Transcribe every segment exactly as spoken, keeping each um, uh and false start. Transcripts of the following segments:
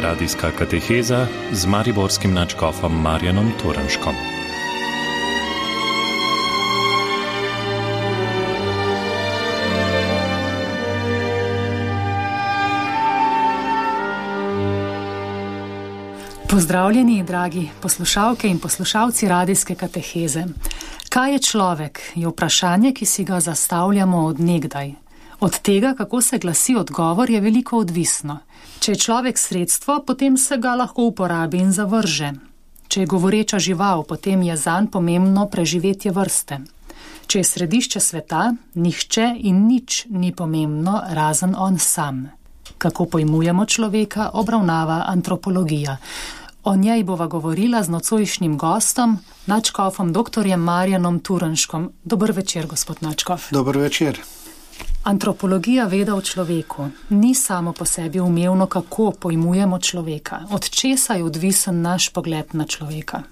Radijska kateheza z mariborskim nadškofom Marjanom Turnškom. Pozdravljeni, dragi poslušalke in poslušalci radijske kateheze. Kaj je človek, je vprašanje, ki si ga zastavljamo od nekdaj. Od tega, kako se glasi odgovor, je veliko odvisno. Če je človek sredstvo, potem se ga lahko uporabi in zavrže. Če je govoreča žival, potem je zanj pomembno preživetje vrste. Če je središče sveta, nihče in nič ni pomembno, razen on sam. Kako pojmujemo človeka, obravnava antropologija. O njej bova govorila z nocojšnjim gostom, nadškofom doktorjem Marjanom Turnškom. Dober večer, gospod nadškof. Dober večer. Antropologija veda o človeku. Ni samo po sebi umevno, kako pojmujemo človeka. Od česa je odvisen naš pogled na človeka?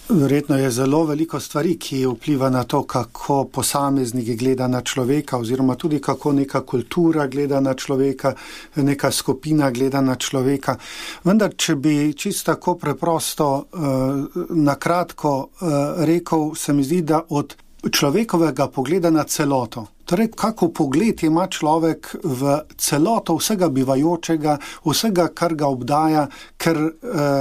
Verjetno je zelo veliko stvari, ki vpliva na to, kako posameznik gleda na človeka, oziroma tudi kako neka kultura gleda na človeka, neka skupina gleda na človeka. Vendar, če bi čisto tako preprosto, eh, na kratko eh, rekel, se mi zdi, da od človekovega pogleda na celoto. Torej, kako pogled ima človek v celoto vsega bivajočega, vsega, kar ga obdaja, ker e,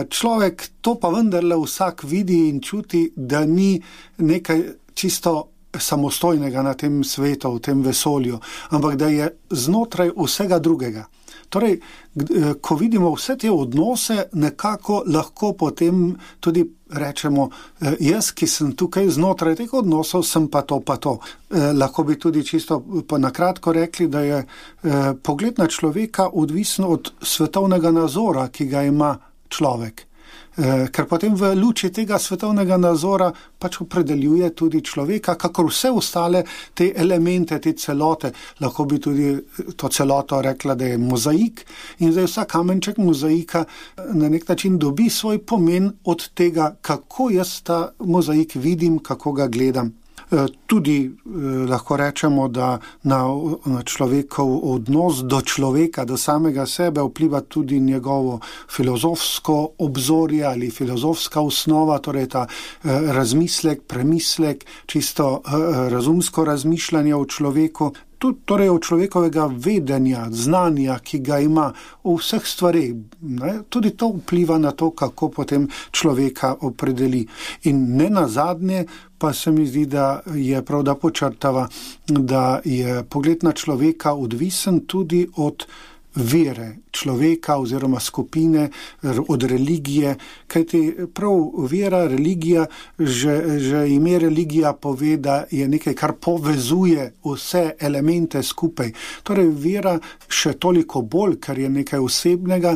človek to pa vendarle vsak vidi in čuti, da ni nekaj čisto samostojnega na tem svetu, v tem vesolju, ampak da je znotraj vsega drugega. Torej, ko vidimo vse te odnose, nekako lahko potem tudi rečemo, jaz, ki sem tukaj znotraj teh odnosov, sem pa to, pa to. Eh, lahko bi tudi čisto nakratko rekli, da je eh, pogled na človeka odvisen od svetovnega nazora, ki ga ima človek. Eh, ker potem v luči tega svetovnega nazora pač opredeljuje tudi človeka, kakor vse ostale te elemente, te celote. Lahko bi tudi to celoto rekla, da je mozaik, in zdaj vsak kamenček mozaika na nek način dobi svoj pomen od tega, kako jaz ta mozaik vidim, kako ga gledam. Tudi eh, lahko rečemo, da na, na človekov odnos do človeka, do samega sebe vpliva tudi njegovo filozofsko obzorje ali filozofska osnova, torej ta eh, razmislek, premislek, čisto eh, razumsko razmišljanje o človeku. Tudi torej od človekovega vedenja, znanja, ki ga ima v vseh stvareh. Ne? Tudi to vpliva na to, kako potem človeka opredeli. In ne nazadnje pa se mi zdi, da je prav, da počrtava, da je pogled na človeka odvisen tudi od vere človeka oziroma skupine, od religije, kajti prav vera, religija, že, že ime religija pove, da je nekaj, kar povezuje vse elemente skupaj. Torej vera še toliko bolj, ker je nekaj osebnega,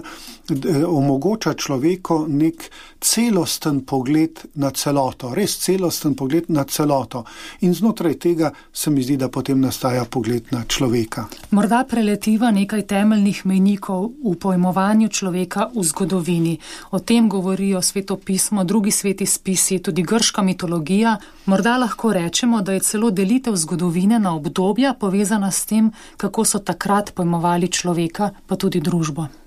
omogoča človeku nek celosten pogled na celoto, res celosten pogled na celoto. In znotraj tega se mi zdi, da potem nastaja pogled na človeka. Morda preletiva nekaj temeljnih mejnikov v pojmovanju človeka v zgodovini. O tem govorijo Sveto pismo, drugi sveti spisi, tudi grška mitologija. Morda lahko rečemo, da je celo delitev zgodovine na obdobja povezana s tem, kako so takrat pojmovali človeka, pa tudi družbo.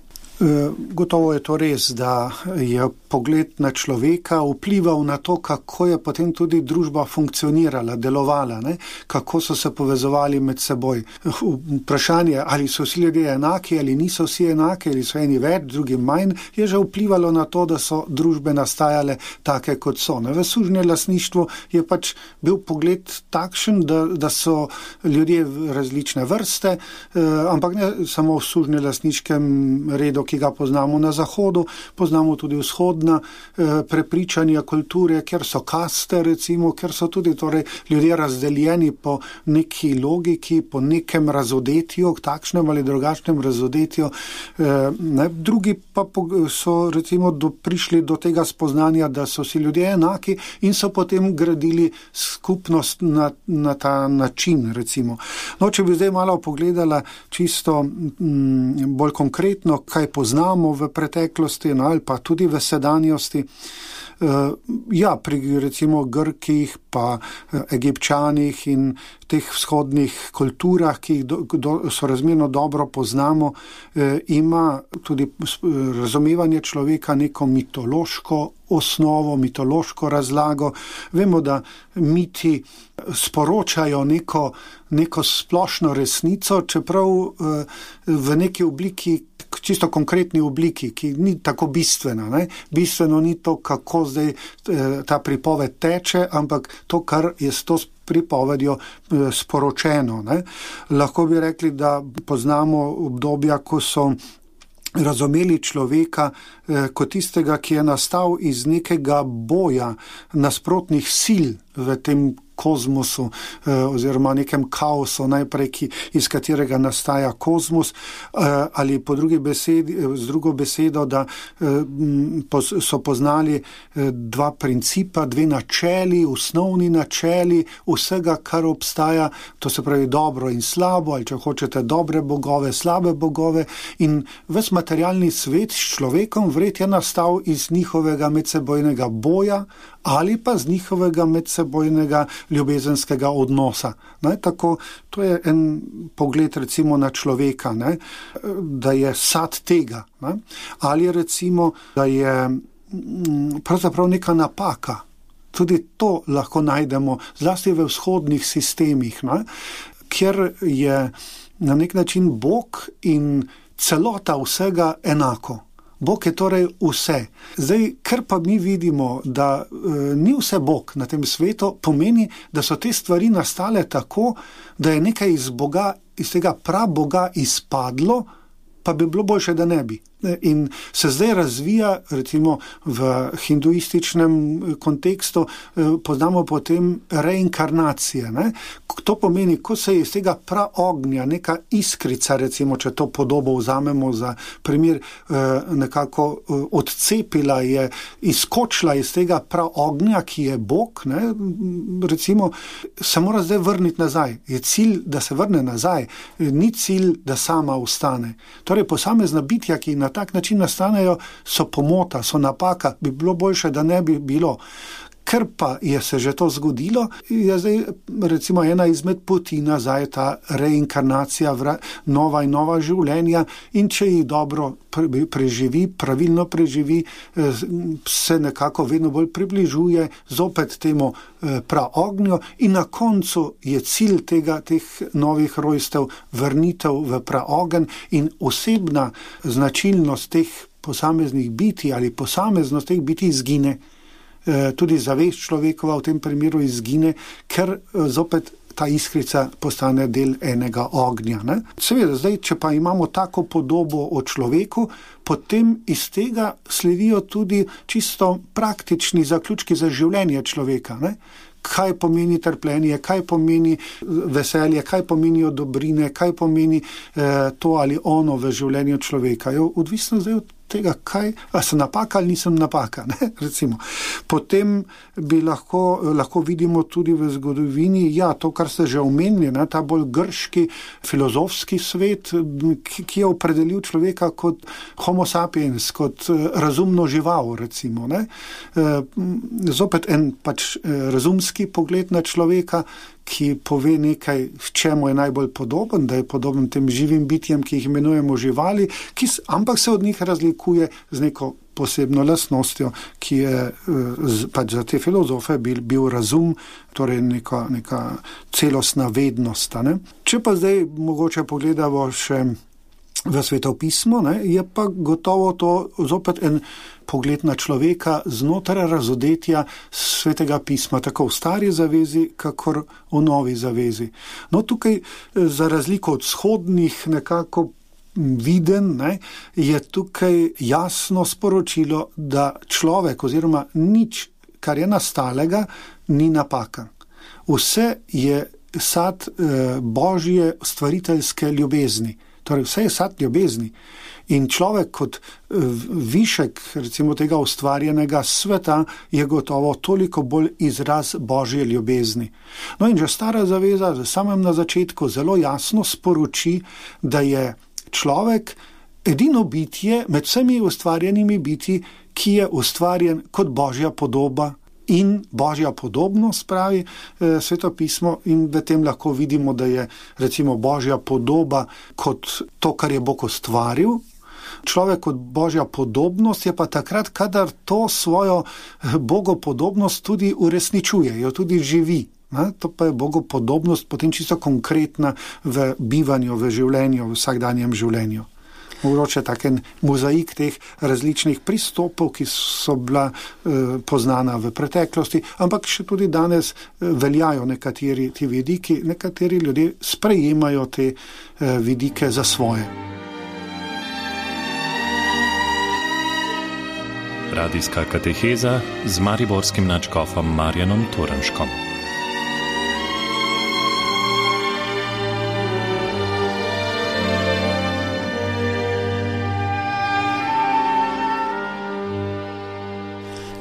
Gotovo je to res, da je pogled na človeka vplival na to, kako je potem tudi družba funkcionirala, delovala, ne? Kako so se povezovali med seboj. Vprašanje, ali so vsi ljudje enaki, ali niso vsi enaki, ali so eni več, drugi manj, je že vplivalo na to, da so družbe nastajale take, kot so. Ne? V sužnjelastništvu je pač bil pogled takšen, da, da so ljudje različne vrste, eh, ampak ne samo v sužnjelastniškem redu, ki ga poznamo na zahodu, poznamo tudi vzhodna eh, prepričanja kulture, kjer so kaste, recimo, kjer so tudi torej, ljudje razdeljeni po neki logiki, po nekem razodetju, takšnem ali drugačnem razodetju. Eh, ne, drugi pa so recimo do, prišli do tega spoznanja, da so si ljudje enaki in so potem gradili skupnost na, na ta način, recimo. No, če bi zdaj malo pogledala čisto m, bolj konkretno, kaj poznamo v preteklosti, no, ali pa tudi v sedanjosti. Uh, ja, pri recimo Grkih, pa uh, Egipčanih in teh vzhodnih kulturah, ki jih do, do, sorazmerno dobro poznamo, eh, ima tudi razumevanje človeka neko mitološko osnovo, mitološko razlago. Vemo, da miti sporočajo neko, neko splošno resnico, čeprav eh, v neki obliki, čisto konkretni obliki, ki ni tako bistvena. Ne? Bistveno ni to, kako zdaj eh, ta pripoved teče, ampak to, kar je s to pripovedjo eh, sporočeno. Ne? Lahko bi rekli, da poznamo obdobja, ko so razumeli človeka eh, kot tistega, ki je nastal iz nekega boja nasprotnih sil v tem kozmosu eh, oziroma nekem kaosu najprej, ki, iz katerega nastaja kozmos, eh, ali po drugi besedi, z drugo besedo, da eh, pos, so poznali eh, dva principa, dve načeli, osnovni načeli vsega, kar obstaja, to se pravi dobro in slabo, ali če hočete dobre bogove, slabe bogove, in ves materialni svet s človekom vred je nastal iz njihovega medsebojnega boja ali pa z njihovega medsebojnega ljubezenskega odnosa. Ne, tako, to je en pogled recimo na človeka, ne, da je sad tega. Ne, ali recimo, da je pravzaprav neka napaka. Tudi to lahko najdemo, zlasti v vzhodnih sistemih, ne, kjer je na nek način Bog in celota vsega enako. Bog je torej vse. Zdaj, ker pa mi vidimo, da e, ni vse Bog na tem svetu, pomeni, da so te stvari nastale tako, da je nekaj iz Boga, iz tega praboga izpadlo, pa bi bilo boljše, da ne bi. In se zdaj razvija, recimo v hinduističnem kontekstu, poznamo potem reinkarnacije. Ne? To pomeni, ko se je iz tega praognja neka iskrica, recimo, če to podobo vzamemo za primer, nekako odcepila je, izkočila iz tega praognja, ki je Bog, ne? Recimo, se mora zdaj vrniti nazaj. Je cilj, da se vrne nazaj, ni cilj, da sama ostane. Torej, posamezna bitja, ki na tak način nastanejo, so pomota, so napaka, bi bilo boljše, da ne bi bilo. Ker pa je se že to zgodilo, je zdaj recimo ena izmed poti nazaj ta reinkarnacija, nova in nova življenja, in če jih dobro preživi, pravilno preživi, se nekako vedno bolj približuje zopet temu praognju in na koncu je cilj tega, teh novih rojstev vrnitev v praogen in osebna značilnost teh posameznih biti ali posameznost teh biti izgine. Tudi zavest človekova v tem primeru izgine, ker zopet ta iskrica postane del enega ognja. Ne? Seveda, zdaj, če pa imamo tako podobo o človeku, potem iz tega sledijo tudi čisto praktični zaključki za življenje človeka. Ne? Kaj pomeni trpljenje, kaj pomeni veselje, kaj pomenijo dobrine, kaj pomeni eh, to ali ono v življenju človeka. Je odvisno zdaj od tega, kaj, a sem napaka ali nisem napaka, ne, recimo. Potem bi lahko, lahko vidimo tudi v zgodovini, ja, to, kar ste že omenili, ne, ta bolj grški filozofski svet, ki, ki je opredelil človeka kot homo sapiens, kot razumno žival, recimo, ne. Zopet en pač razumski pogled na človeka, ki pove nekaj, v čemu je najbolj podoben, da je podoben tem živim bitjem, ki jih imenujemo živali, ki, ampak se od njih razlikuje z neko posebno lastnostjo, ki je pač za te filozofe bil, bil razum, torej neka, neka celostna vednost. Ne? Če pa zdaj mogoče pogledamo še v svetopismo, ne, je pa gotovo to zopet en pogled na človeka znotraj razodetja svetega pisma, tako v stari zavezi, kakor v novi zavezi. No, tukaj za razliko od vzhodnih nekako viden, ne, je tukaj jasno sporočilo, da človek oziroma nič, kar je nastalega, ni napaka. Vse je sad eh, božje stvariteljske ljubezni. Torej, vse je sad ljubezni in človek kot višek, recimo tega ustvarjenega sveta, je gotovo toliko bolj izraz božje ljubezni. No in že stara zaveza v samem na začetku zelo jasno sporoči, da je človek edino bitje med vsemi ustvarjenimi biti, ki je ustvarjen kot božja podoba in božja podobnost, pravi eh, Sveto pismo, in v tem lahko vidimo, da je recimo božja podoba kot to, kar je Bog ustvaril. Človek kot božja podobnost je pa takrat, kadar to svojo bogopodobnost tudi uresničuje, jo tudi živi. Ne? To pa je bogopodobnost potem čisto konkretna v bivanju, v življenju, v vsakdanjem življenju. Mogoče taken mozaik teh različnih pristopov, ki so bila eh, poznana v preteklosti, ampak še tudi danes eh, veljajo nekateri ti vidiki, nekateri ljudje sprejemajo te eh, vidike za svoje. Radijska kateheza z mariborskim nadškofom Marjanom Turnškom.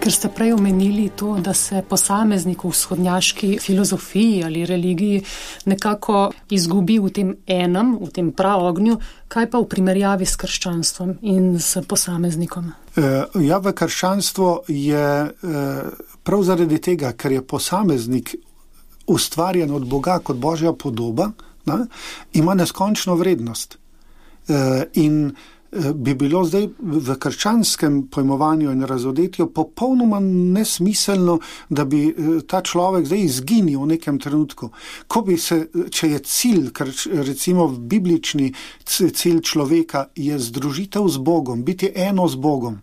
Ker ste prej omenili to, da se posameznik v vzhodnjaški filozofiji ali religiji nekako izgubi v tem enem, v tem praognju, kaj pa v primerjavi s krščanstvom in s posameznikom? Ja, v krščanstvu je prav zaradi tega, ker je posameznik ustvarjen od Boga kot božja podoba, ne, ima neskončno vrednost. In bi bilo zdaj v krščanskem pojmovanju in razodetju popolnoma nesmiselno, da bi ta človek zdaj izginil v nekem trenutku. Ko bi se, če je cilj, recimo biblični cilj človeka je združitev z Bogom, biti eno z Bogom.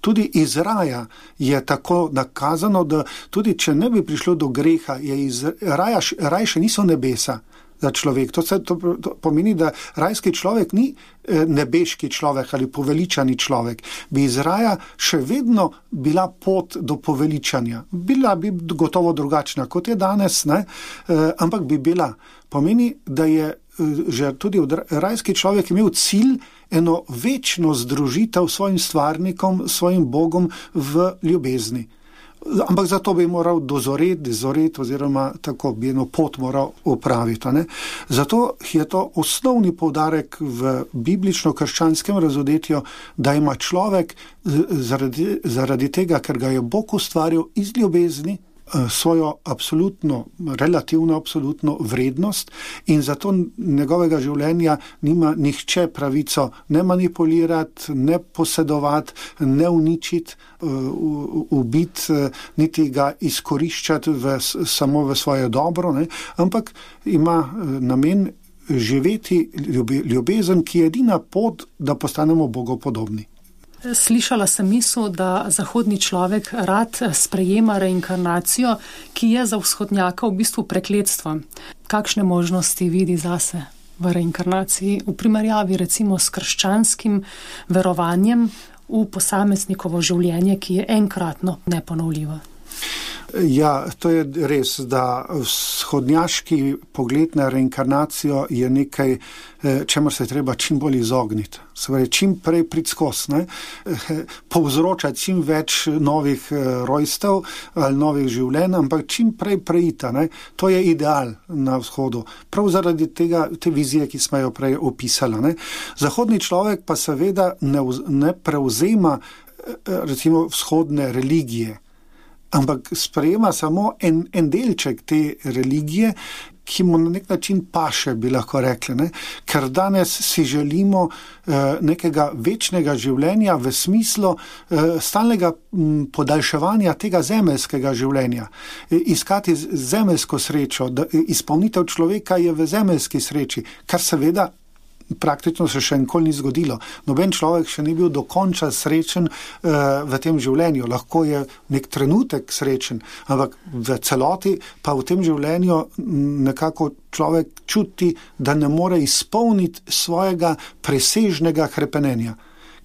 Tudi iz raja je tako nakazano, da tudi če ne bi prišlo do greha, je iz raja, raj še niso nebesa za človek. To, se, to, to pomeni, da rajski človek ni nebeški človek ali poveličani človek. Bi iz raja še vedno bila pot do poveličanja. Bila bi gotovo drugačna, kot je danes, ne? Ampak bi bila. Pomeni, da je že tudi rajski človek imel cilj eno večno združitev s svojim stvarnikom, svojim Bogom v ljubezni. Ampak zato bi moral dozoreti, dozoreti oziroma tako bi eno pot moral upraviti. Ne? Zato je to osnovni poudarek v biblično-krščanskem razodetju, da ima človek zaradi, zaradi tega, ker ga je Bog ustvaril iz ljubezni, svojo absolutno, relativno absolutno vrednost in zato njegovega življenja nima nihče pravico ne manipulirati, ne posedovati, ne uničiti, ubiti, niti ga izkoriščati v, samo v svoje dobro, ne? Ampak ima namen živeti ljubezen, ki je edina pot, da postanemo bogopodobni. Slišala sem misel, da zahodni človek rad sprejema reinkarnacijo, ki je za vzhodnjaka v bistvu prekletstvo. Kakšne možnosti vidi zase v reinkarnaciji v primerjavi recimo s krščanskim verovanjem v posameznikovo življenje, ki je enkratno neponovljivo? Ja, to je res, da vzhodnjaški pogled na reinkarnacijo je nekaj, čemur se treba čim bolj izogniti. Se pravi, čim prej priti skozi, ne? Povzročati čim več novih rojstev ali novih življenj, ampak čim prej preita. Ne? To je ideal na vzhodu. Prav zaradi tega, te vizije, ki smo jo prej opisali. Ne? Zahodni človek pa seveda ne, ne prevzema recimo vzhodne religije, ampak sprejema samo en, en delček te religije, ki mu na nek način paše, bi lahko rekli. Ne? Ker danes si želimo eh, nekega večnega življenja v smislu eh, stalnega m, podaljševanja tega zemeljskega življenja. E, iskati zemeljsko srečo, da, izpolnitev človeka je v zemeljski sreči, kar seveda praktično se še nikoli ni zgodilo. Noben človek še ni bil dokončan srečen uh, v tem življenju. Lahko je nek trenutek srečen, ampak v celoti pa v tem življenju nekako človek čuti, da ne more izpolniti svojega presežnega hrepenenja.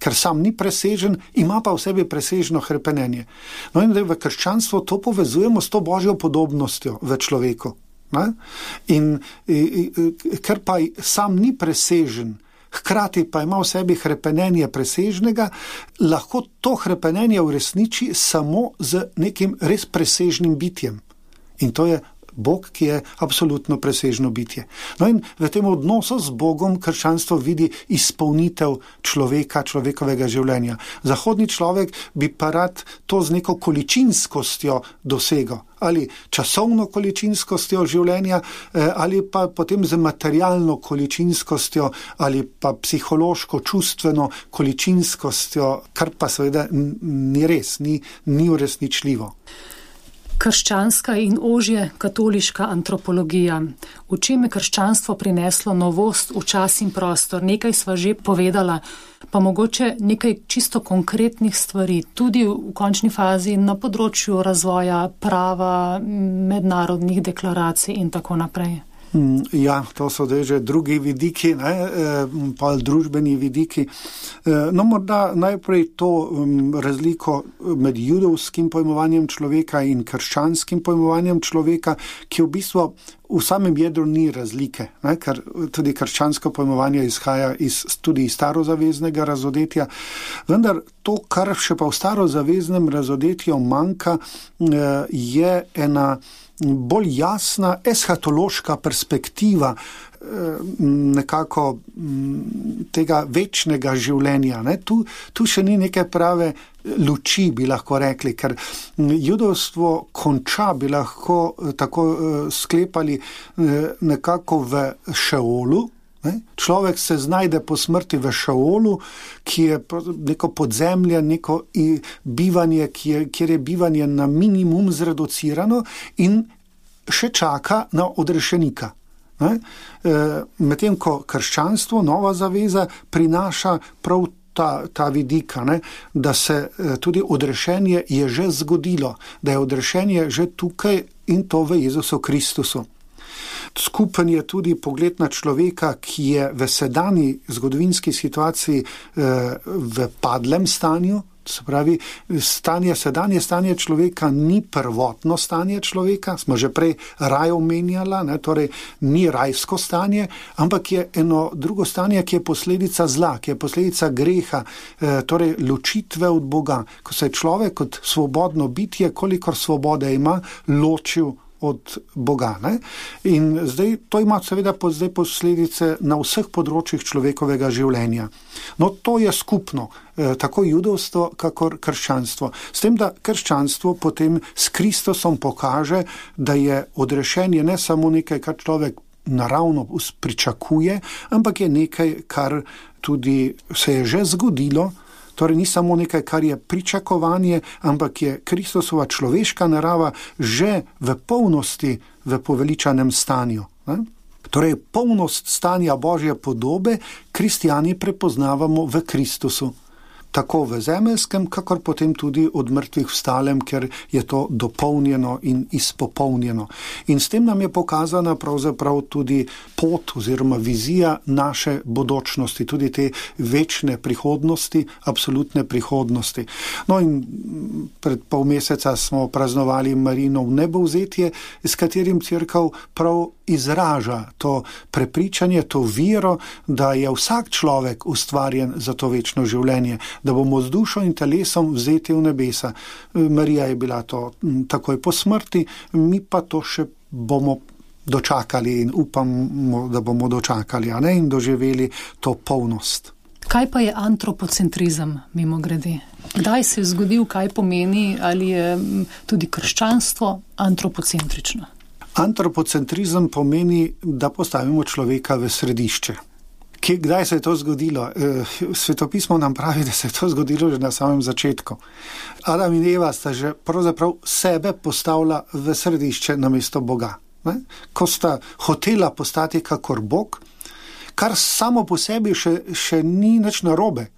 Ker sam ni presežen, ima pa v sebi presežno hrepenenje. No in da v krščanstvu to povezujemo s to božjo podobnostjo v človeku. Ne? In, in, in ker pa sam ni presežen, hkrati pa ima v sebi hrepenenje presežnega, lahko to hrepenenje uresniči samo z nekim res presežnim bitjem. In to je Bog, ki je absolutno presežno bitje. No in v tem odnosu z Bogom krščanstvo vidi izpolnitev človeka, človekovega življenja. Zahodni človek bi pa rad to z neko količinskostjo dosegel. Ali časovno količinskostjo življenja, ali pa potem z materialno količinskostjo, ali pa psihološko, čustveno količinskostjo, kar pa seveda ni res, ni, ni uresničljivo. Krščanska in ožje katoliška antropologija. V čem je krščanstvo prineslo novost v čas in prostor? Nekaj sva že povedala, pa mogoče nekaj čisto konkretnih stvari, tudi v končni fazi na področju razvoja prava, mednarodnih deklaracij in tako naprej. Ja, to so že drugi vidiki, ne, pa družbeni vidiki. No, morda najprej to razliko med judovskim pojmovanjem človeka in krščanskim pojmovanjem človeka, ki v bistvu v samem jedru ni razlike, ne, ker tudi krščansko pojmovanje izhaja iz, tudi iz starozaveznega razodetja. Vendar to, kar še pa v starozaveznem razodetju manjka, je ena bolj jasna eschatološka perspektiva nekako tega večnega življenja. Ne? Tu, tu še ni neke prave luči, bi lahko rekli, ker judovstvo konča, bi lahko tako sklepali, nekako v Šeolu. Ne? Človek se znajde po smrti v Šeolu, ki je neko podzemlje, neko bivanje, ki je, kjer je bivanje na minimum zreducirano in še čaka na odrešenika. Ne? E, medtem ko krščanstvo, nova zaveza, prinaša prav ta, ta vidika, ne? Da se tudi odrešenje je že zgodilo, da je odrešenje že tukaj in to v Jezusu Kristusu. Skupen je tudi pogled na človeka, ki je v sedanji zgodovinski situaciji v padlem stanju, se pravi, stanje, sedanje stanje človeka ni prvotno stanje človeka, smo že prej raj omenjala, ne, torej ni rajsko stanje, ampak je eno drugo stanje, ki je posledica zla, ki je posledica greha, torej ločitve od Boga, ko se je človek kot svobodno bitje, kolikor svobode ima, ločil od Boga. Ne? In zdaj to ima seveda zdaj posledice na vseh področjih človekovega življenja. No, to je skupno, eh, tako judovstvo, kakor krščanstvo. S tem, da krščanstvo potem s Kristusom pokaže, da je odrešenje ne samo nekaj, kar človek naravno pričakuje, ampak je nekaj, kar tudi se je že zgodilo. Torej ni samo nekaj, kar je pričakovanje, ampak je Kristusova človeška narava že v polnosti v poveličanem stanju. Ne? Torej polnost stanja Božje podobe kristjani prepoznavamo v Kristusu. Tako v zemeljskem, kakor potem tudi od mrtvih vstalem, ker je to dopolnjeno in izpopolnjeno. In s tem nam je pokazana pravzaprav tudi pot oziroma vizija naše bodočnosti, tudi te večne prihodnosti, absolutne prihodnosti. No in pred pol meseca smo praznovali Marijino vnebovzetje, s katerim cerkev prav izraža to prepričanje, to vero, da je vsak človek ustvarjen za to večno življenje, da bomo z dušo in telesom vzeti v nebesa. Marija je bila to takoj po smrti, mi pa to še bomo dočakali in upamo, da bomo dočakali, a ne, in doživeli to polnost. Kaj pa je antropocentrizem, mimo grede? Kdaj se je zgodil, kaj pomeni, ali je tudi krščanstvo antropocentrično? Antropocentrizem pomeni, da postavimo človeka v središče. Kdaj se je to zgodilo? Svetopismo nam pravi, da se je to zgodilo že na samem začetku. Adam in Eva sta že pravzaprav sebe postavila v središče namesto Boga. Ne? Ko sta hotela postati kakor Bog, kar samo po sebi še, še ni nič narobe,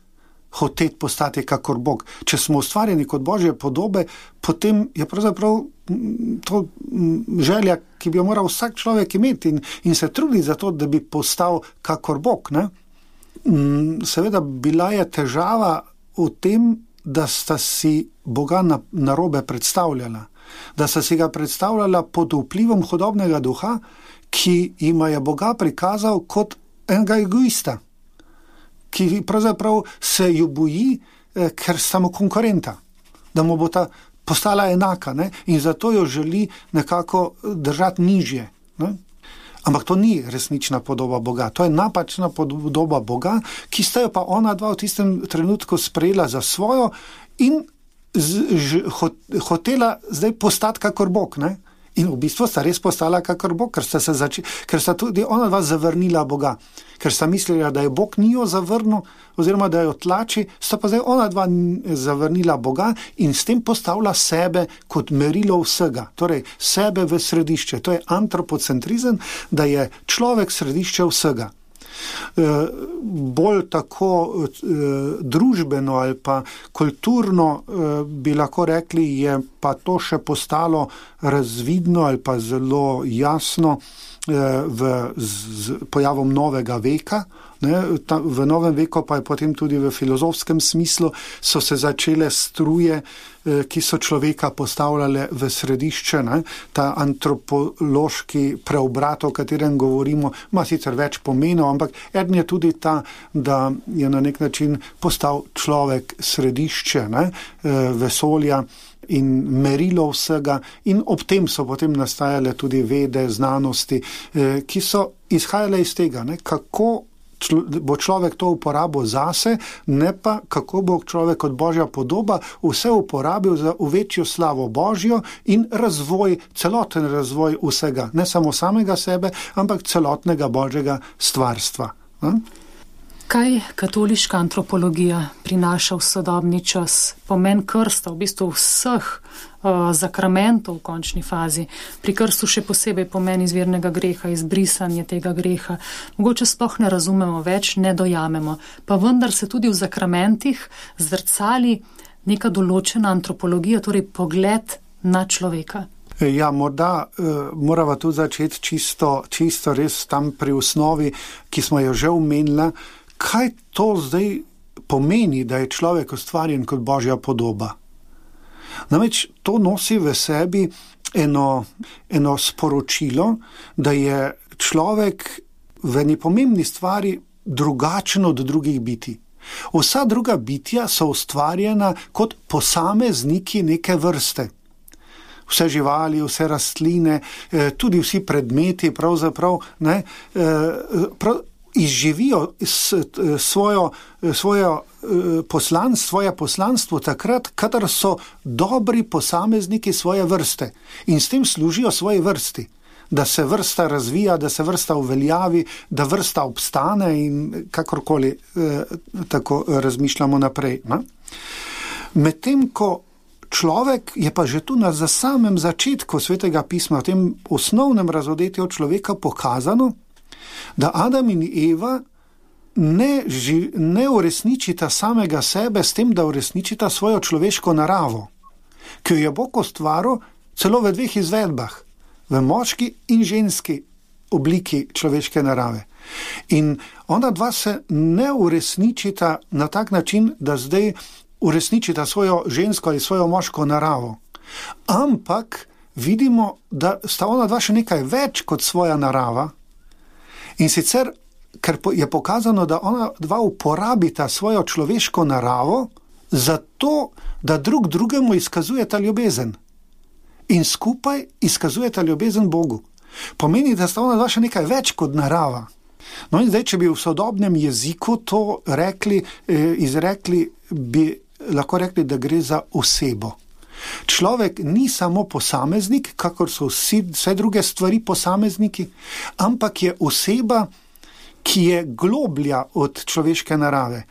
hoteti postati kakor Bog. Če smo ustvarjeni kot Božje podobe, potem je pravzaprav to želja, ki bi jo moral vsak človek imeti in, in se trudi za to, da bi postal kakor Bog. Ne? Seveda bila je težava v tem, da sta si Boga na, narobe predstavljala. Da sta si ga predstavljala pod vplivom hudobnega duha, ki jima je Boga prikazal kot enega egoista, ki pravzaprav se jo boji, ker sta mu konkurenta, da mu bo ta postala enaka, ne? In zato jo želi nekako držati nižje. Ne? Ampak to ni resnična podoba Boga, to je napačna podoba Boga, ki sta jo pa ona dva v tistem trenutku sprejela za svojo in z, ž, hot, hotela zdaj postati kakor Bog, ne? In v bistvu sta res postala kakor Bog, ker sta, se zači, ker sta tudi ona dva zavrnila Boga, ker sta mislila, da je Bog ni jo zavrnil oziroma da jo tlači, sta pa zdaj ona dva zavrnila Boga in s tem postavila sebe kot merilo vsega, torej sebe v središče. To je antropocentrizem, da je človek središče vsega. E, bolj tako e, družbeno ali pa kulturno e, bi lahko rekli, je pa to še postalo razvidno ali pa zelo jasno e, v, z, z pojavom novega veka. Ne, ta, v novem veku pa je potem tudi v filozofskem smislu so se začele struje, eh, ki so človeka postavljale v središče. Ne. Ta antropološki preobrat, o katerem govorimo, ima sicer več pomenov, ampak eden je tudi ta, da je na nek način postal človek središče, ne, eh, vesolja in merilo vsega, in ob tem so potem nastajale tudi vede, znanosti, eh, ki so izhajale iz tega, ne, kako bo človek to uporabil zase, ne pa kako bo človek kot Božja podoba vse uporabil za večjo slavo Božjo in razvoj, celoten razvoj vsega, ne samo samega sebe, ampak celotnega Božjega stvarstva. Ne? Kaj katoliška antropologija prinaša v sodobni čas? Pomen krsta, v bistvu vseh uh, zakramentov v končni fazi. Pri krstu še posebej pomen izvirnega greha, izbrisanje tega greha. Mogoče sploh ne razumemo več, ne dojamemo. Pa vendar se tudi v zakramentih zrcali neka določena antropologija, torej pogled na človeka. Ja, morda uh, morava tu začeti čisto, čisto res tam pri osnovi, ki smo jo že omenila. Kaj to zdaj pomeni, da je človek ustvarjen kot Božja podoba? Namreč to nosi v sebi eno, eno sporočilo, da je človek v eni pomembni stvari drugačen od drugih bitij. Vsa druga bitja so ustvarjena kot posamezniki neke vrste. Vse živali, vse rastline, tudi vsi predmeti pravzaprav, ne, prav, izživijo svojo, svojo poslanstvo, svoje poslanstvo takrat, kadar so dobri posamezniki svoje vrste in s tem služijo svoji vrsti, da se vrsta razvija, da se vrsta uveljavi, da vrsta obstane in kakorkoli eh, tako razmišljamo naprej. Ne? Medtem ko človek je pa že tu na za samem začetku Svetega pisma, v tem osnovnem razodetju človeka pokazano, da Adam in Eva ne, ži, ne uresničita samega sebe s tem, da uresničita svojo človeško naravo, ki jo je Bog ustvaril celo v dveh izvedbah, v moški in ženski obliki človeške narave. In ona dva se ne uresničita na tak način, da zdaj uresničita svojo žensko ali svojo moško naravo, ampak vidimo, da sta ona dva še nekaj več kot svoja narava. In sicer, ker je pokazano, da ona dva uporabita svojo človeško naravo zato, da drug drugemu izkazujeta ljubezen. In skupaj izkazujeta ljubezen Bogu. Pomeni, da sta ona dva še nekaj več kot narava. No in zdaj, če bi v sodobnem jeziku to rekli, izrekli, bi lahko rekli, da gre za osebo. Človek ni samo posameznik, kakor so vsi, vse druge stvari posamezniki, ampak je oseba, ki je globlja od človeške narave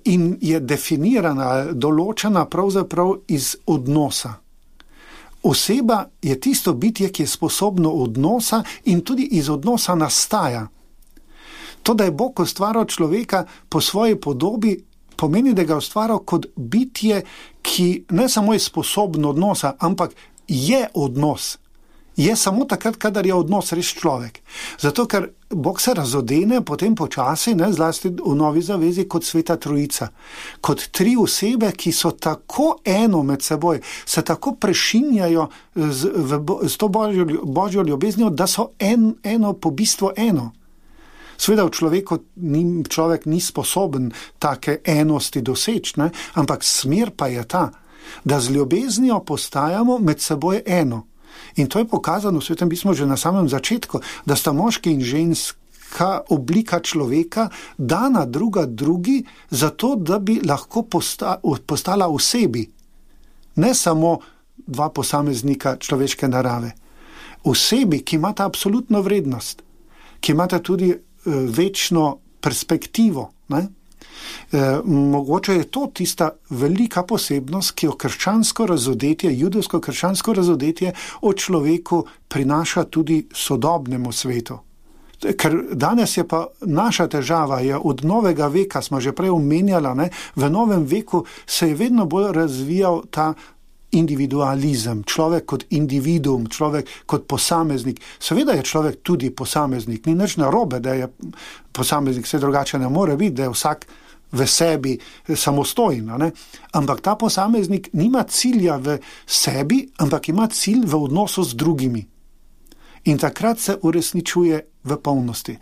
in je definirana, določena pravzaprav iz odnosa. Oseba je tisto bitje, ki je sposobno odnosa in tudi iz odnosa nastaja. To, da je Bog ustvaril človeka po svoji podobi, pomeni, da ga je ustvaril kot bitje, ki ne samo je sposobno odnosa, ampak je odnos. Je samo takrat, kadar je odnos res človek. Zato, ker Bog se razodene potem počasi, ne, zlasti v Novi zavezi, kot Sveta Trojica. Kot tri osebe, ki so tako eno med seboj, se tako prešinjajo z, v, z to Božjo, Božjo ljubeznijo, da so en, eno po bistvu eno. Seveda v človeku človek ni sposoben take enosti doseči, ne? Ampak smer pa je ta, da z ljubeznijo postajamo med seboj eno. In to je pokazano v Svetem pismu že na samem začetku, da sta moški in ženska oblika človeka dana druga drugi, zato da bi lahko posta, postala v sebi. Ne samo dva posameznika človeške narave. V sebi, ki imata absolutno vrednost, ki imata tudi uh, večno perspektivo. Ne? E, mogoče je to tista velika posebnost, ki jo krščansko razodetje, judovsko-krščansko razodetje o človeku prinaša tudi sodobnemu svetu. Ker danes je pa naša težava, je od novega veka, smo že prej omenjala, ne, v novem veku se je vedno bolj razvijal ta individualizem, človek kot individuum, človek kot posameznik. Seveda je človek tudi posameznik, ni nič narobe, da je posameznik, vse drugače ne more biti, da je vsak v sebi samostojno, ne? Ampak ta posameznik nima cilja v sebi, ampak ima cilj v odnosu z drugimi. In takrat se uresničuje v polnosti.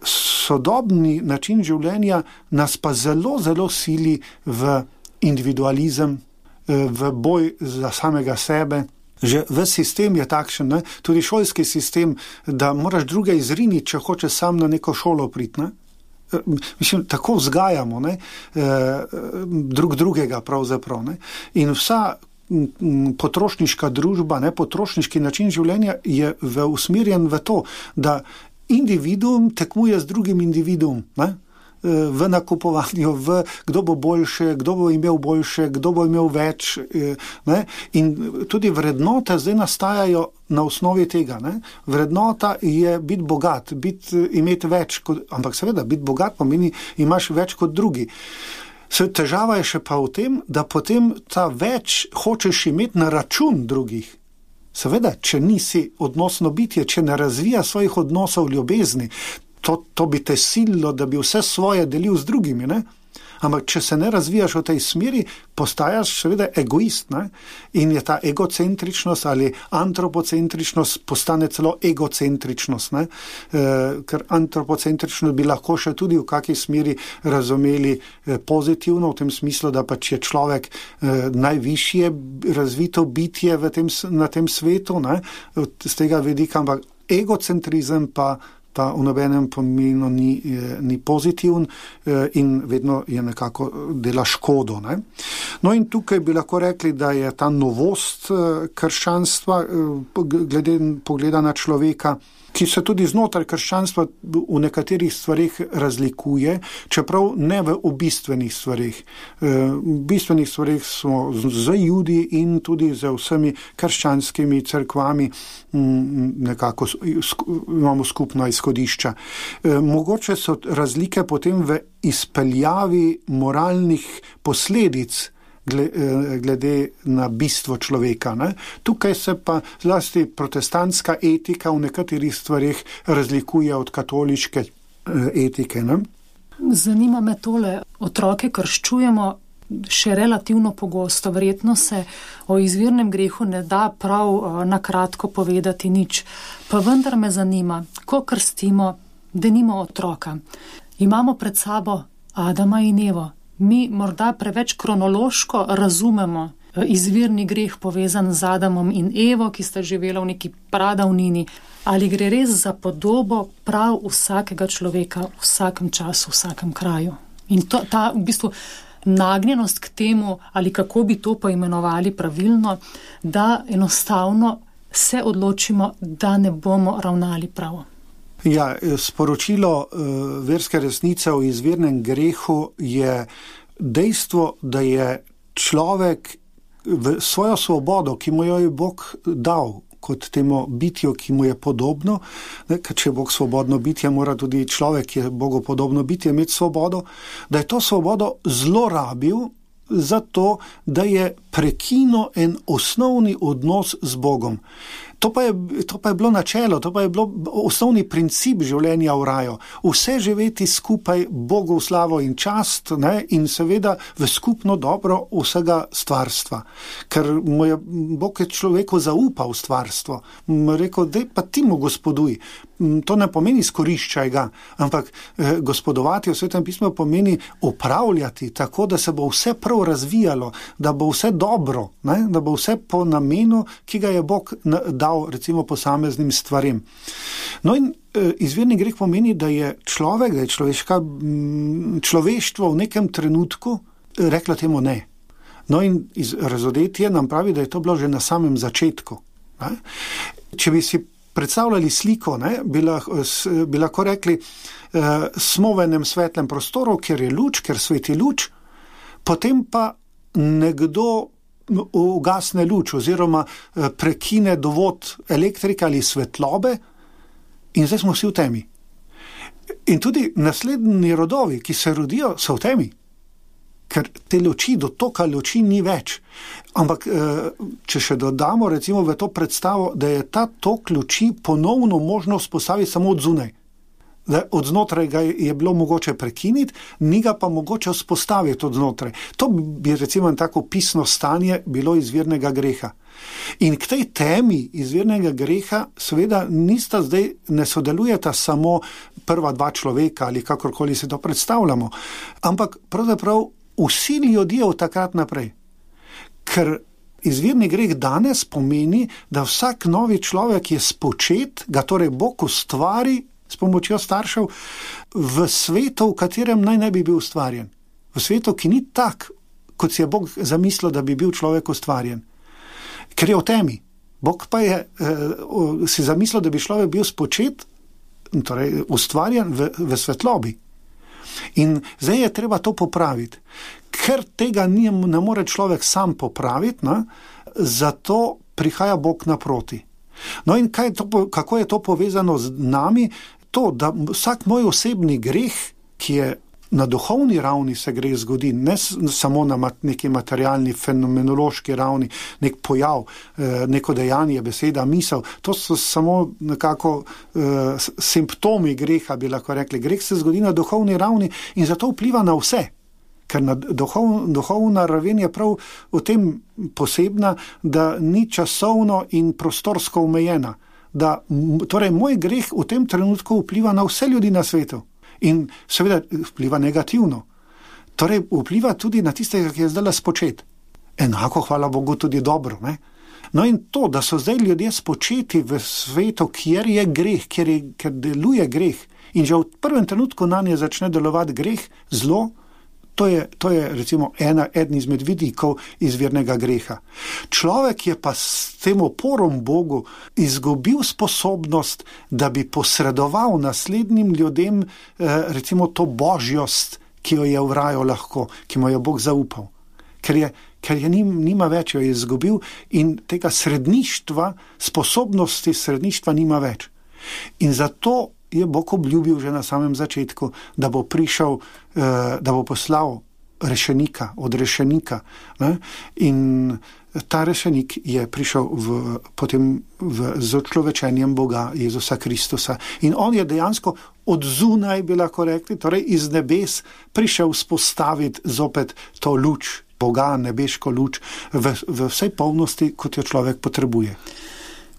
Sodobni način življenja nas pa zelo, zelo sili v individualizem, v boj za samega sebe. Že v sistem je takšen, ne? Tudi šolski sistem, da moraš druge izriniti, če hočeš sam na neko šolo priti, ne? Mislim, tako vzgajamo, ne? E, drug drugega pravzaprav. Ne? In vsa potrošniška družba, ne? Potrošniški način življenja je v, usmerjen v to, da individuum tekmuje z drugim individuum, ne? V nakupovanju, v kdo bo boljše, kdo bo imel boljše, kdo bo imel več. Ne? In tudi vrednote zdaj nastajajo na osnovi tega. Ne? Vrednota je biti bogat, biti, imeti več, kot, ampak seveda biti bogat pomeni, imaš več kot drugi. Težava je še pa v tem, da potem ta več hočeš imeti na račun drugih. Seveda, če nisi odnosno bitje, če ne razvija svojih odnosov ljubezni, To, to bi te sililo, da bi vse svoje delil z drugimi, ne? Ampak če se ne razvijaš v tej smeri, postajaš seveda egoist, ne? In je ta egocentričnost ali antropocentričnost postane celo egocentričnost, ne? E, ker antropocentričnost bi lahko še tudi v kakšni smeri razumeli e, pozitivno, v tem smislu, da pač je človek e, najvišje razvito bitje v tem, na tem svetu, ne? Z tega vidika, ampak egocentrizem pa pa v nobenem pomenu ni, ni pozitiven in vedno je nekako dela škodo. Ne? No in tukaj bi lahko rekli, da je ta novost krščanstva glede pogleda na človeka, ki se tudi znotraj krščanstva v nekaterih stvarih razlikuje, čeprav ne v bistvenih stvarih. V bistvenih stvarih smo z Judi in tudi z vsemi krščanskimi cerkvami nekako imamo skupno izhodišča. Mogoče so razlike potem v izpeljavi moralnih posledic glede na bistvo človeka. Ne? Tukaj se pa zlasti protestantska etika v nekaterih stvarih razlikuje od katoliške etike. Ne? Zanima me tole, otroke krščujemo še relativno pogosto. Verjetno se o izvirnem grehu ne da prav na kratko povedati nič. Pa vendar me zanima, ko krstimo, denimo otroka, imamo pred sabo Adama in Evo. Mi morda preveč kronološko razumemo izvirni greh povezan z Adamom in Evo, ki sta živela v neki pradavnini. Ali gre res za podobo prav vsakega človeka v vsakem času, v vsakem kraju? In to, ta v bistvu nagnjenost k temu, ali kako bi to poimenovali pravilno, da enostavno se odločimo, da ne bomo ravnali pravo. Ja, sporočilo uh, verske resnice o izvirnem grehu je dejstvo, da je človek v svojo svobodo, ki mu jo je Bog dal kot temu bitju, ki mu je podobno, ne, ker če je Bog svobodno bitje, mora tudi človek, ki je Bogu podobno bitje, imeti svobodo, da je to svobodo zlorabil zato, da je prekinil en osnovni odnos z Bogom. To pa, je, to pa je bilo načelo, to pa je bilo osnovni princip življenja v raju. Vse živeti skupaj Bogu v slavo in čast, ne, in seveda v skupno dobro vsega stvarstva. Ker mu je Bog je človeku zaupal stvarstvo. Mu je rekel, dej pa ti mu gospoduj. To ne pomeni izkoriščaj ga, ampak eh, gospodovati v Svetem pismu pomeni upravljati tako, da se bo vse prav razvijalo, da bo vse dobro, ne, da bo vse po namenu, ki ga je Bog dal recimo posameznim stvarem. No in eh, izvirni greh pomeni, da je človek, da je človeška, človeštvo v nekem trenutku reklo temu ne. No in iz razodetje nam pravi, da je to bilo že na samem začetku. Ne. Če bi si predstavljali sliko, ne, bi, lahko, bi lahko rekli, eh, smo v enem svetlem prostoru, kjer je luč, kjer sveti luč, potem pa nekdo ugasne luč oziroma eh, prekine dovod elektrike ali svetlobe in zdaj smo vsi v temi. In tudi naslednji rodovi, ki se rodijo, so v temi. Ker te luči, dotoka luči ni več. Ampak, če še dodamo recimo v to predstavo, da je ta tok luči ponovno možno vzpostaviti samo od zunaj. Da od znotraj ga je bilo mogoče prekiniti, ni ga pa mogoče vzpostaviti od znotraj. To bi recimo tako pisno stanje bilo izvirnega greha. In k tej temi izvirnega greha seveda nista zdaj, ne sodelujeta samo prva dva človeka ali kakorkoli si to predstavljamo, ampak pravzaprav vsi ljudje od takrat naprej. Ker izvirni greh danes pomeni, da vsak novi človek je spočet, ga torej Bog ustvari s pomočjo staršev v svetu, v katerem naj ne bi bil ustvarjen. V svetu, ki ni tak, kot si je Bog zamislil, da bi bil človek ustvarjen. Ker je v temi. Bog pa je eh, si zamislil, da bi človek bil spočet, torej ustvarjen v, v svetlobi. In zdaj je treba to popraviti. Ker tega ni, ne more človek sam popraviti, ne, zato prihaja Bog naproti. No in kaj je to, kako je to povezano z nami? To, da vsak moj osebni greh, ki je na duhovni ravni se greh zgodi, ne samo na neki materialni, fenomenološki ravni, nek pojav, neko dejanje, beseda, misel, to so samo nekako uh, simptomi greha, bi lahko rekli. Greh se zgodi na duhovni ravni in zato vpliva na vse. Ker na duhov, duhovna raven je prav v tem posebna, da ni časovno in prostorsko omejena. Da, torej, moj greh v tem trenutku vpliva na vse ljudi na svetu. In seveda vpliva negativno. Torej vpliva tudi na tistega, ki je zdaj spočet. Enako, hvala Bogu, tudi dobro. Ne? No in to, da so zdaj ljudje spočeti v svetu, kjer je greh, kjer, je, kjer deluje greh in že v prvem trenutku na nje začne delovati greh, zlo, to je, to je recimo ena, eden izmed vidikov izvirnega greha. Človek je pa s tem oporom Bogu izgubil sposobnost, da bi posredoval naslednjim ljudem eh, recimo to božjost, ki jo je v raju lahko, ki mu je Bog zaupal. Ker je, ker je nim, nima več, jo je izgubil in tega sredništva, sposobnosti sredništva nima več. In zato je Bog obljubil že na samem začetku, da bo prišel, da bo poslal rešenika, od rešenika. Ne? In ta rešenik je prišel v, potem v, z odčlovečenjem Boga, Jezusa Kristusa. In on je dejansko od zunaj, bi lahko rekli, torej iz nebes, prišel spostaviti zopet to luč Boga, nebeško luč, v, v vsej polnosti, kot jo človek potrebuje.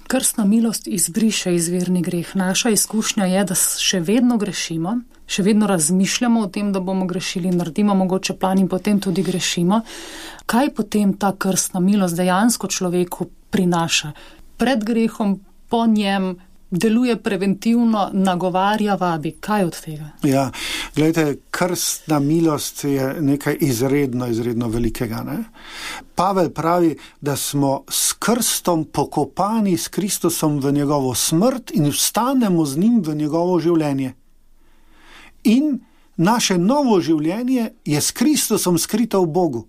Krstna milost izbriše izvirni greh. Naša izkušnja je, da še vedno grešimo, še vedno razmišljamo o tem, da bomo grešili, naredimo mogoče plan in potem tudi grešimo. Kaj potem ta krstna milost dejansko človeku prinaša? Pred grehom, po njem, deluje preventivno, nagovarja, vabi. Kaj od tega? Ja, gledajte, krstna milost je nekaj izredno, izredno velikega. Ne? Pavel pravi, da smo s krstom pokopani s Kristusom v njegovo smrt in vstanemo z njim v njegovo življenje. In naše novo življenje je s Kristusom skrito v Bogu.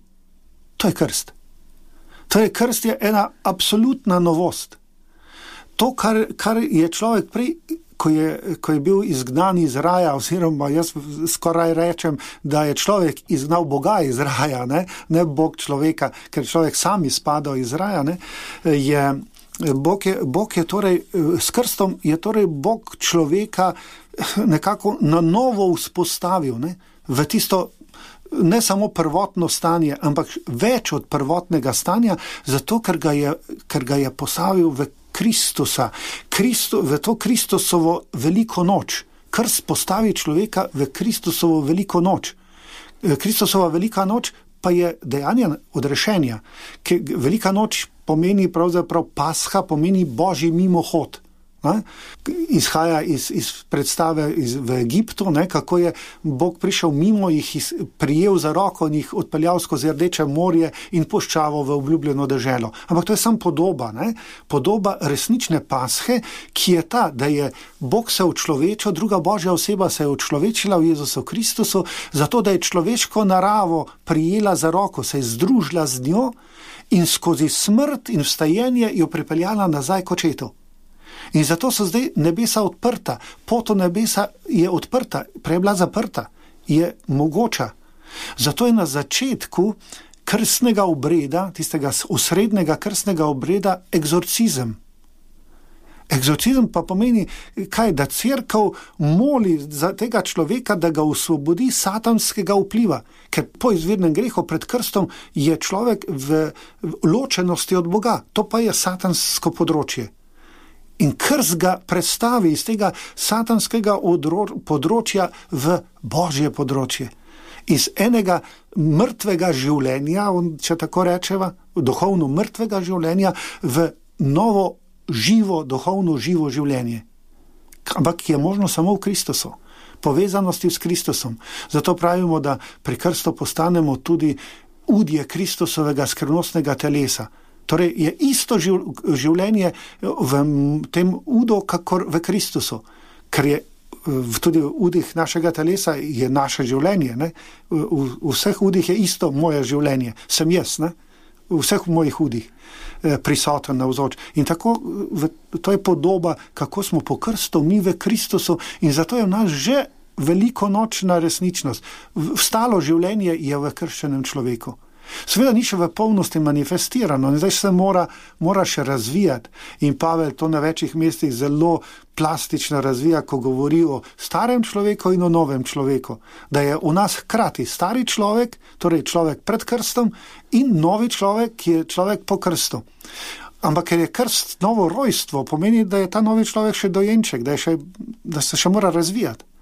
To je krst. To je krst je ena absolutna novost. To, kar, kar je človek prej, ko je, ko je bil izgnan iz raja, oziroma jaz skoraj rečem, da je človek izgnal Boga iz raja, ne, ne Bog človeka, ker človek sam izpadal iz raja, ne, je Bog je, Bog je torej, s krstom je torej Bog človeka nekako na novo vzpostavil, ne, v tisto ne samo prvotno stanje, ampak več od prvotnega stanja, zato ker ga je, ker ga je postavil v Kristusa, Kristo, v to Kristusovo veliko noč. Krst postavi človeka v Kristusovo veliko noč. Kristusova velika noč pa je dejanje odrešenja. Velika noč pomeni pravzaprav Pasha, pomeni Božji mimohod. Ne? Izhaja iz, iz predstave iz, v Egiptu, ne? Kako je Bog prišel mimo, jih iz, prijel za roko in jih odpeljal skozi Rdeče morje in puščavo v obljubljeno deželo. Ampak to je samo podoba, ne? Podoba resnične Pashe, ki je ta, da je Bog se učlovečil, druga Božja oseba se je učlovečila v Jezusu Kristusu, zato da je človeško naravo prijela za roko, se je združila z njo in skozi smrt in vstajenje jo pripeljala nazaj k očetu. In zato so zdaj nebesa odprta, pot v nebesa je odprta, prej je bila zaprta, je mogoča. Zato je na začetku krstnega obreda, tistega osrednjega krstnega obreda, egzorcizem. Egzorcizem pa pomeni, kaj, da cerkev moli za tega človeka, da ga osvobodi satanskega vpliva, ker po izvirnem grehu pred krstom je človek v ločenosti od Boga, to pa je satansko področje. In krst ga predstavi iz tega satanskega področja v Božje področje. Iz enega mrtvega življenja, če tako rečeva, duhovno mrtvega življenja, v novo živo, duhovno živo življenje. Ampak je možno samo v Kristusu, povezanosti s Kristusom. Zato pravimo, da pri krstu postanemo tudi udje Kristusovega skrivnostnega telesa. Torej je isto življenje v tem udu, kakor v Kristusu, ker je tudi v udih našega telesa je naše življenje. Ne? V, v vseh udih je isto moje življenje, sem jaz, ne? V vseh mojih udih prisoten navzoč. In tako, to je podoba, kako smo po krstu mi v Kristusu in zato je v nas že velikonočna resničnost. Vstalo življenje je v krščenem človeku. Seveda ni še v polnosti manifestirano in zdaj se mora, mora še razvijati. In Pavel to na večjih mestih zelo plastično razvija, ko govori o starem človeku in o novem človeku. Da je v nas hkrati stari človek, torej človek pred krstom, in novi človek, ki je človek po krstu. Ampak ker je krst novo rojstvo, pomeni, da je ta novi človek še dojenček, da, je še, da se še mora razvijati.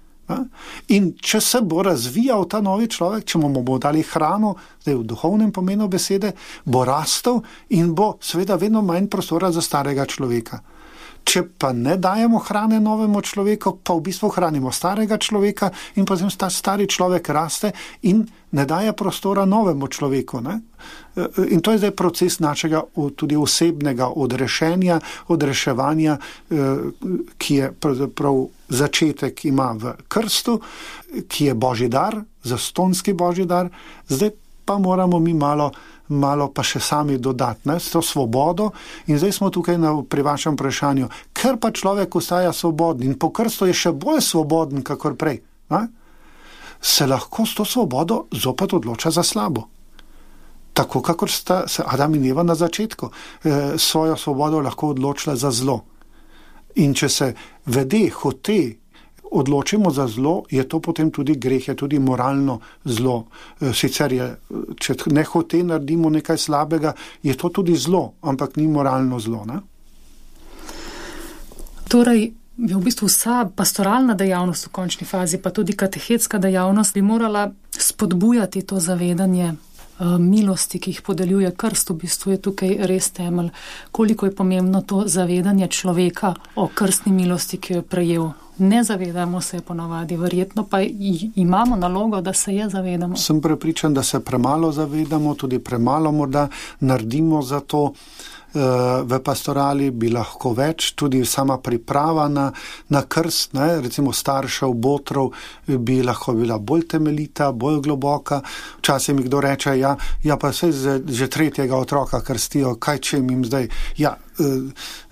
In če se bo razvijal ta novi človek, če mu bomo dali hrano, zdaj v duhovnem pomenu besede, bo rastel in bo seveda vedno manj prostora za starega človeka. Če pa ne dajemo hrane novemu človeku, pa v bistvu hranimo starega človeka in potem ta stari človek raste in ne daje prostora novemu človeku. Ne? In to je zdaj proces našega tudi osebnega odrešenja, odreševanja, ki je pravzaprav začetek ima v krstu, ki je Božji dar, zastonski Božji dar, zdaj pa moramo mi malo malo pa še sami dodati, ne, s to svobodo in zdaj smo tukaj na, pri vašem vprašanju, ker pa človek ostaja svoboden in po krstu je še bolj svoboden, kakor prej, ne, se lahko s to svobodo zopet odloča za slabo. Tako, kakor sta se Adam in Eva na začetku eh, svojo svobodo lahko odločila za zlo. In če se vede, hote odločimo za zlo, je to potem tudi greh, je tudi moralno zlo. Sicer je, če ne hote naredimo nekaj slabega, je to tudi zlo, ampak ni moralno zlo. Ne? Torej, v bistvu vsa pastoralna dejavnost v končni fazi, pa tudi katehetska dejavnost, bi morala spodbujati to zavedanje milosti, ki jih podeljuje krst, v bistvu je tukaj res temelj. Koliko je pomembno to zavedanje človeka o krstni milosti, ki jo je prejel. Ne zavedamo se ponavadi, verjetno pa imamo nalogo, da se je zavedamo. Sem prepričan, da se premalo zavedamo, tudi premalo morda naredimo za to. V pastorali bi lahko več, tudi sama priprava na, na krst, ne, recimo staršev, botrov, bi lahko bila bolj temeljita, bolj globoka. Včasih mi kdo reče, ja, ja pa se že tretjega otroka krstijo, kaj če jim zdaj, ja,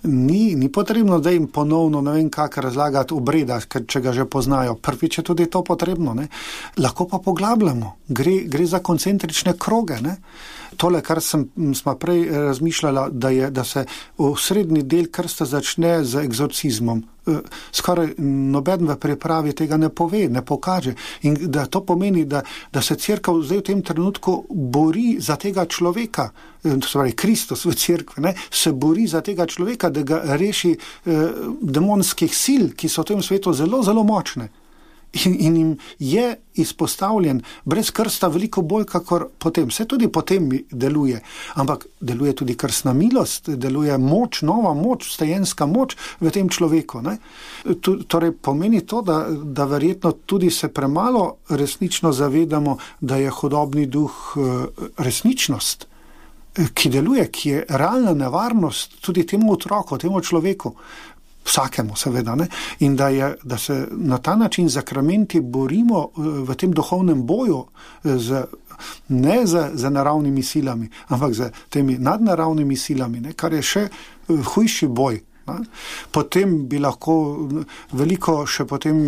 ni, ni potrebno, da jim ponovno ne vem kak razlagati obreda, če ga že poznajo. Prvič je tudi to potrebno. Ne? Lahko pa poglabljamo. Gre, gre za koncentrične kroge. Ne? Tole, kar sem, smo prej razmišljala, da, je, da se v srednji del krsta začne z egzorcizmom. Skoraj noben v pripravi tega ne pove, ne pokaže. In da to pomeni, da, da se cerkev zdaj v tem trenutku bori za tega človeka, to se pravi Kristus v cerkvi, ne, se bori za tega človeka, da ga reši eh, demonskih sil, ki so v tem svetu zelo, zelo močne. In, in jim je izpostavljen brez krsta veliko bolj, kakor potem. Vse tudi potem deluje, ampak deluje tudi krstna milost, deluje moč, nova moč, vstajenska moč v tem človeku. Ne? Torej pomeni to, da, da verjetno tudi se premalo resnično zavedamo, da je hudobni duh resničnost, ki deluje, ki je realna nevarnost tudi temu otroku, temu človeku. Vsakemu seveda, ne? In da, je, da se na ta način zakramenti borimo v tem duhovnem boju z, ne z, z naravnimi silami, ampak z temi nadnaravnimi silami, ne? Kar je še hujši boj. Ne? Potem bi lahko veliko še potem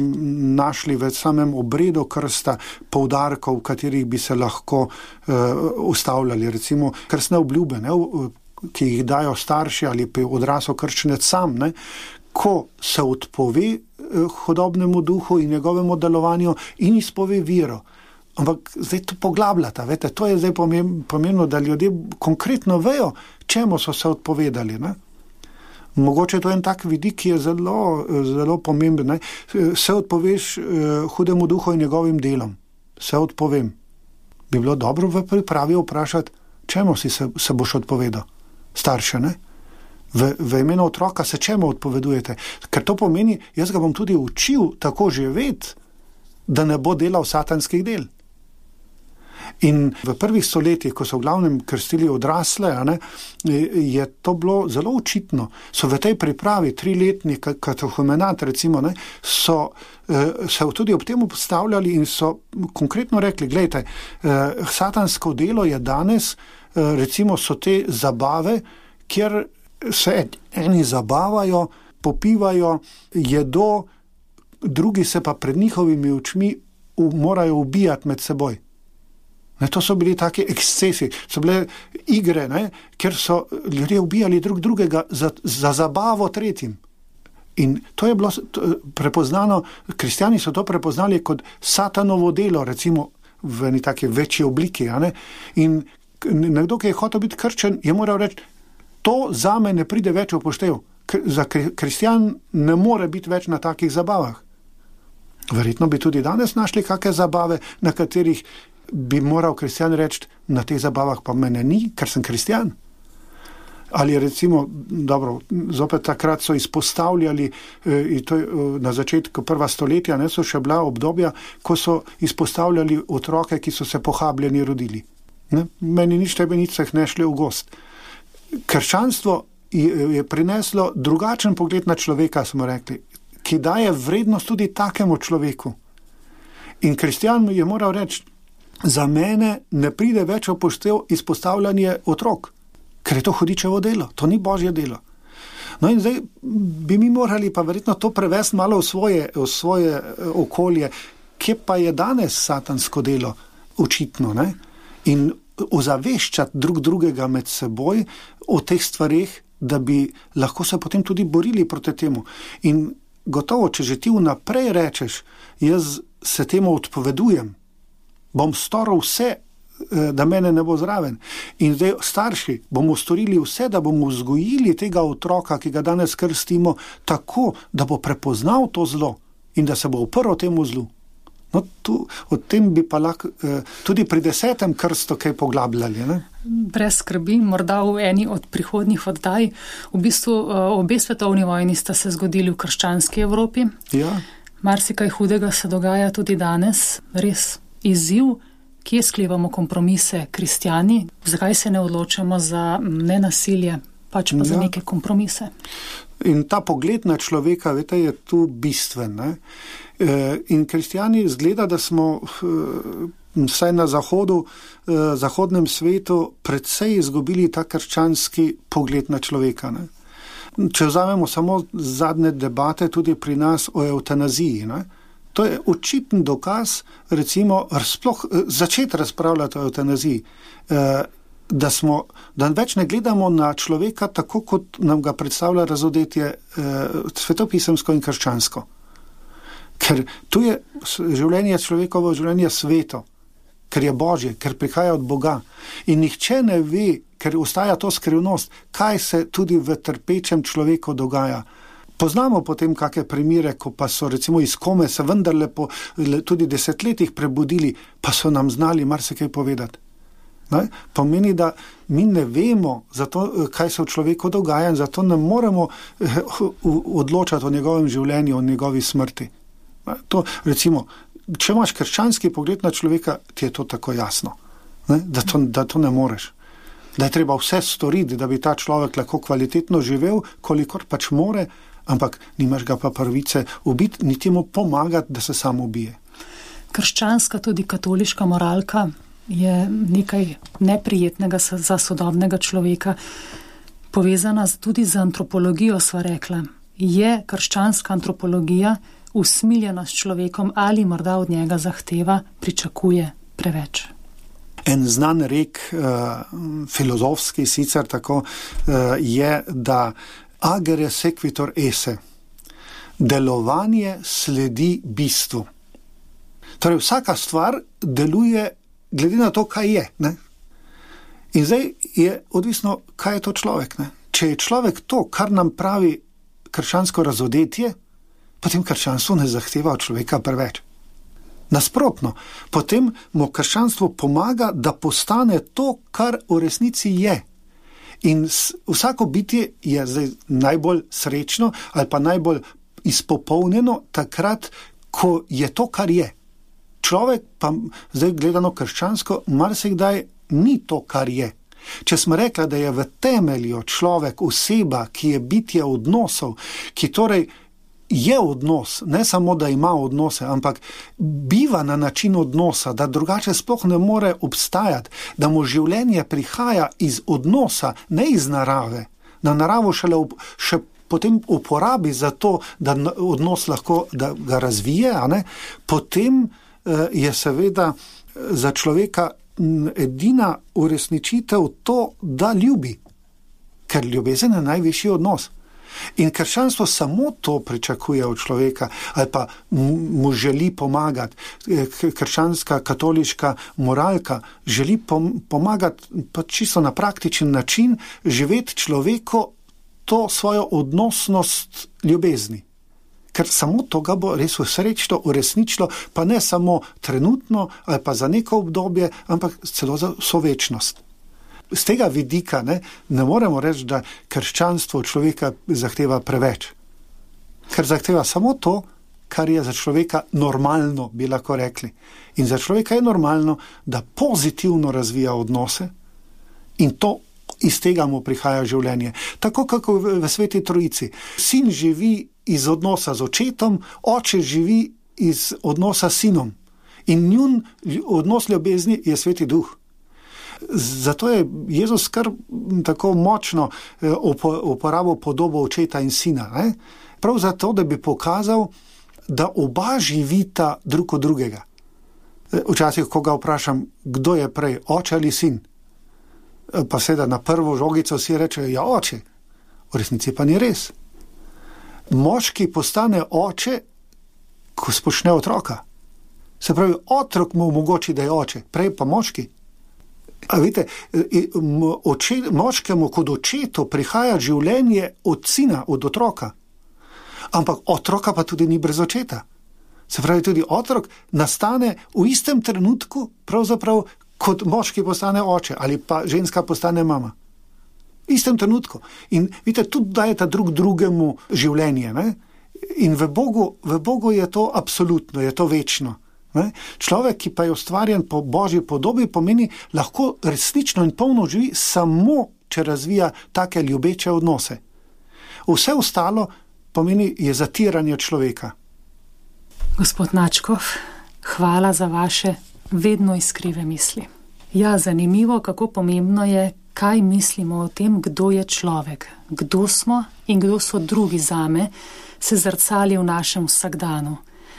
našli v samem obredu krsta poudarkov, v katerih bi se lahko uh, ustavljali, recimo krstne obljube, ne? Ki jih dajo starši ali pa odrasel krščenec sam, ne? Ko se odpove hudobnemu duhu in njegovemu delovanju in izpove vero. Ampak zdaj to poglabljata, vete, to je zdaj pomembno, da ljudje konkretno vejo, čemu so se odpovedali. Ne? Mogoče to je en tak vidik, ki je zelo, zelo pomemben. Ne? Se odpoveš hudemu duhu in njegovim delom. Se odpovem. Bi bilo dobro v pripravi vprašati, čemu si se, se boš odpovedal? Starše, ne? V, v imenu otroka se čemu odpovedujete? Ker to pomeni, jaz ga bom tudi učil tako živeti, da ne bo delal satanskih del. In v prvih stoletjih, ko so v glavnem krstili odrasle, ne, je to bilo zelo očitno. So v tej pripravi triletni katehumenat, recimo, ne, so se tudi ob tem postavljali in so konkretno rekli, gledajte, satansko delo je danes, recimo so te zabave, kjer se eni zabavajo, popivajo, jedo, drugi se pa pred njihovimi očmi morajo ubijati med seboj. Ne, to so bili taki ekscesi, so bile igre, ne, kjer so ljudje ubijali drug drugega za, za zabavo tretjim. In to je bilo prepoznano, kristjani so to prepoznali kot satanovo delo, recimo v eni taki večji obliki. A ne? In nekdo, ki je hotel biti krščen, je moral reči, to zame ne pride več v poštev. Za kristjan ne more biti več na takih zabavah. Verjetno bi tudi danes našli kakšne zabave, na katerih bi moral kristjan reči, na teh zabavah pa mene ni, ker sem kristjan. Ali recimo, dobro, zopet takrat so izpostavljali, eh, to, eh, na začetku prva stoletja, ne, so še bila obdobja, ko so izpostavljali otroke, ki so se pohabljeni rodili. Ne? Meni nič tebe nič se ne šli v gost. Krščanstvo je prineslo drugačen pogled na človeka, smo rekli, ki daje vrednost tudi takemu človeku. In kristjan je moral reči, za mene ne pride več v poštev izpostavljanje otrok, ker je to hudičevo delo, to ni božje delo. No in zdaj bi mi morali pa verjetno to prevesti malo v svoje, v svoje okolje, kje pa je danes satansko delo očitno, ne? In ozaveščati drug drugega med seboj o teh stvarih, da bi lahko se potem tudi borili proti temu. In gotovo, če že ti vnaprej rečeš, jaz se temu odpovedujem, bom storil vse, da mene ne bo zraven. In zdaj starši bomo storili vse, da bomo vzgojili tega otroka, ki ga danes krstimo, tako, da bo prepoznal to zlo in da se bo uprl temu zlu. No, tu, o tem bi pa lahko eh, tudi pri desetem krstu kaj poglabljali. Ne? Brez skrbi, morda v eni od prihodnjih oddaj. V bistvu obe svetovni vojni sta se zgodili v krščanski Evropi. Ja. Marsikaj hudega se dogaja tudi danes. Res izziv, kje sklevamo kompromise kristjani, zakaj se ne odločamo za nenasilje, pač pa ja. Za neke kompromise. In ta pogled na človeka, vete, je tu bistven. Ne? In kristjani zgleda, da smo vsaj na zahodu, zahodnem svetu predvsej izgubili ta krščanski pogled na človeka. Ne? Če vzamemo samo zadnje debate tudi pri nas o eutanaziji, ne? To je očiten dokaz, recimo, sploh začeti razpravljati o eutanaziji, da, smo, da več ne gledamo na človeka tako, kot nam ga predstavlja razodetje svetopisemsko in krščansko. Ker tu je življenje človekovo življenje sveto, ker je Božje, ker prihaja od Boga. In nihče ne ve, ker ostaja to skrivnost, kaj se tudi v trpečem človeku dogaja. Poznamo potem kakšne primere, ko pa so recimo iz kome se vendarle po tudi desetletjih prebudili, pa so nam znali marsikaj povedati. Ne? Pomeni, da mi ne vemo, zato, kaj se v človeku dogaja in zato ne moremo odločati o njegovem življenju, o njegovi smrti. Ne? To, recimo, če imaš krščanski pogled na človeka, ti je to tako jasno, ne? Da, to, da to ne moreš. Da je treba vse storiti, da bi ta človek lahko kvalitetno živel, kolikor pač more, ampak nimaš ga pa pravice ubiti, niti mu pomagati, da se sam ubije. Krščanska, tudi katoliška moralka je nekaj neprijetnega za sodobnega človeka, povezana tudi z antropologijo, sva rekla. Je krščanska antropologija usmiljena s človekom ali morda od njega zahteva, pričakuje preveč? En znan rek, uh, filozofski sicer tako, uh, je, da agere sequitur esse. Delovanje sledi bistvu. Torej, vsaka stvar deluje glede na to, kaj je. Ne? In zdaj je odvisno, kaj je to človek. Ne? Če je človek to, kar nam pravi krščansko razodetje, potem krščanstvo ne zahteva od človeka preveč. Nasprotno, potem mu krščanstvo pomaga, da postane to, kar v resnici je. In vsako bitje je zdaj najbolj srečno ali pa najbolj izpopolnjeno takrat, ko je to, kar je. Človek pa, zdaj gledano krščansko, marsikdaj ni to, kar je. Če smo rekli, da je v temelju človek oseba, ki je bitje odnosov, ki torej je odnos, ne samo, da ima odnose, ampak biva na način odnosa, da drugače sploh ne more obstajati, da mu življenje prihaja iz odnosa, ne iz narave. Na naravo šele ob, še potem uporabi za to, da odnos lahko da ga razvije, a ne? Potem eh, je seveda za človeka edina uresničitev to, da ljubi, ker ljubezen je najvišji odnos. In krščanstvo samo to pričakuje od človeka ali pa mu želi pomagati. Krščanska, katoliška moralka želi pomagati pa čisto na praktičen način živeti človeku to svojo odnosnost ljubezni. Ker samo to ga bo res srečno uresničilo, pa ne samo trenutno ali pa za neko obdobje, ampak celo za vso večnost. Z tega vidika ne, ne moremo reči, da krščanstvo človeka zahteva preveč. Ker zahteva samo to, kar je za človeka normalno, bi lahko rekli. In za človeka je normalno, da pozitivno razvija odnose in to iz tega mu prihaja življenje. Tako kako v, v Sveti Trojici. Sin živi iz odnosa z očetom, oče živi iz odnosa s sinom. In njun odnos ljubezni je Sveti Duh. Zato je Jezus kar tako močno uporabil podobo očeta in sina. Ne? Prav zato, da bi pokazal, da oba živita drug od drugega. Včasih, ko ga vprašam, kdo je prej, oče ali sin, pa seveda na prvo žogico vsi rečejo, ja, oče. V resnici pa ni res. Moški postane oče, ko spočne otroka. Se pravi, otrok mu omogoči, da je oče, prej pa moški. A vidite, oče, moškemu kot očetu prihaja življenje od sina, od otroka. Ampak otroka pa tudi ni brez očeta. Se pravi, tudi otrok nastane v istem trenutku, pravzaprav kot moški postane oče ali pa ženska postane mama. V istem trenutku. In vidite, tudi dajeta drug drugemu življenje. Ne? In v Bogu, v Bogu je to absolutno, je to večno. Ne? Človek, ki pa je ustvarjen po Božji podobi, pomeni, lahko resnično in polno živi samo, če razvija take ljubeče odnose. Vse ostalo pomeni je zatiranje človeka. Gospod Načkov, hvala za vaše vedno iskrive misli. Ja, zanimivo, kako pomembno je, kaj mislimo o tem, kdo je človek, kdo smo in kdo so drugi zame, se zrcali v našem vsakdanu.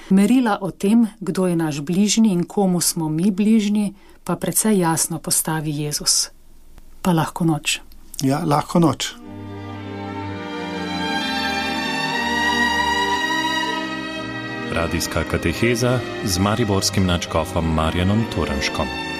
Merila o tem, kdo je naš bližnji in komu smo mi bližnji, pa precej jasno postavi Jezus. Pa lahko noč. Ja, lahko noč. Radijska kateheza z mariborskim nadškofom Marjanom Turnškom.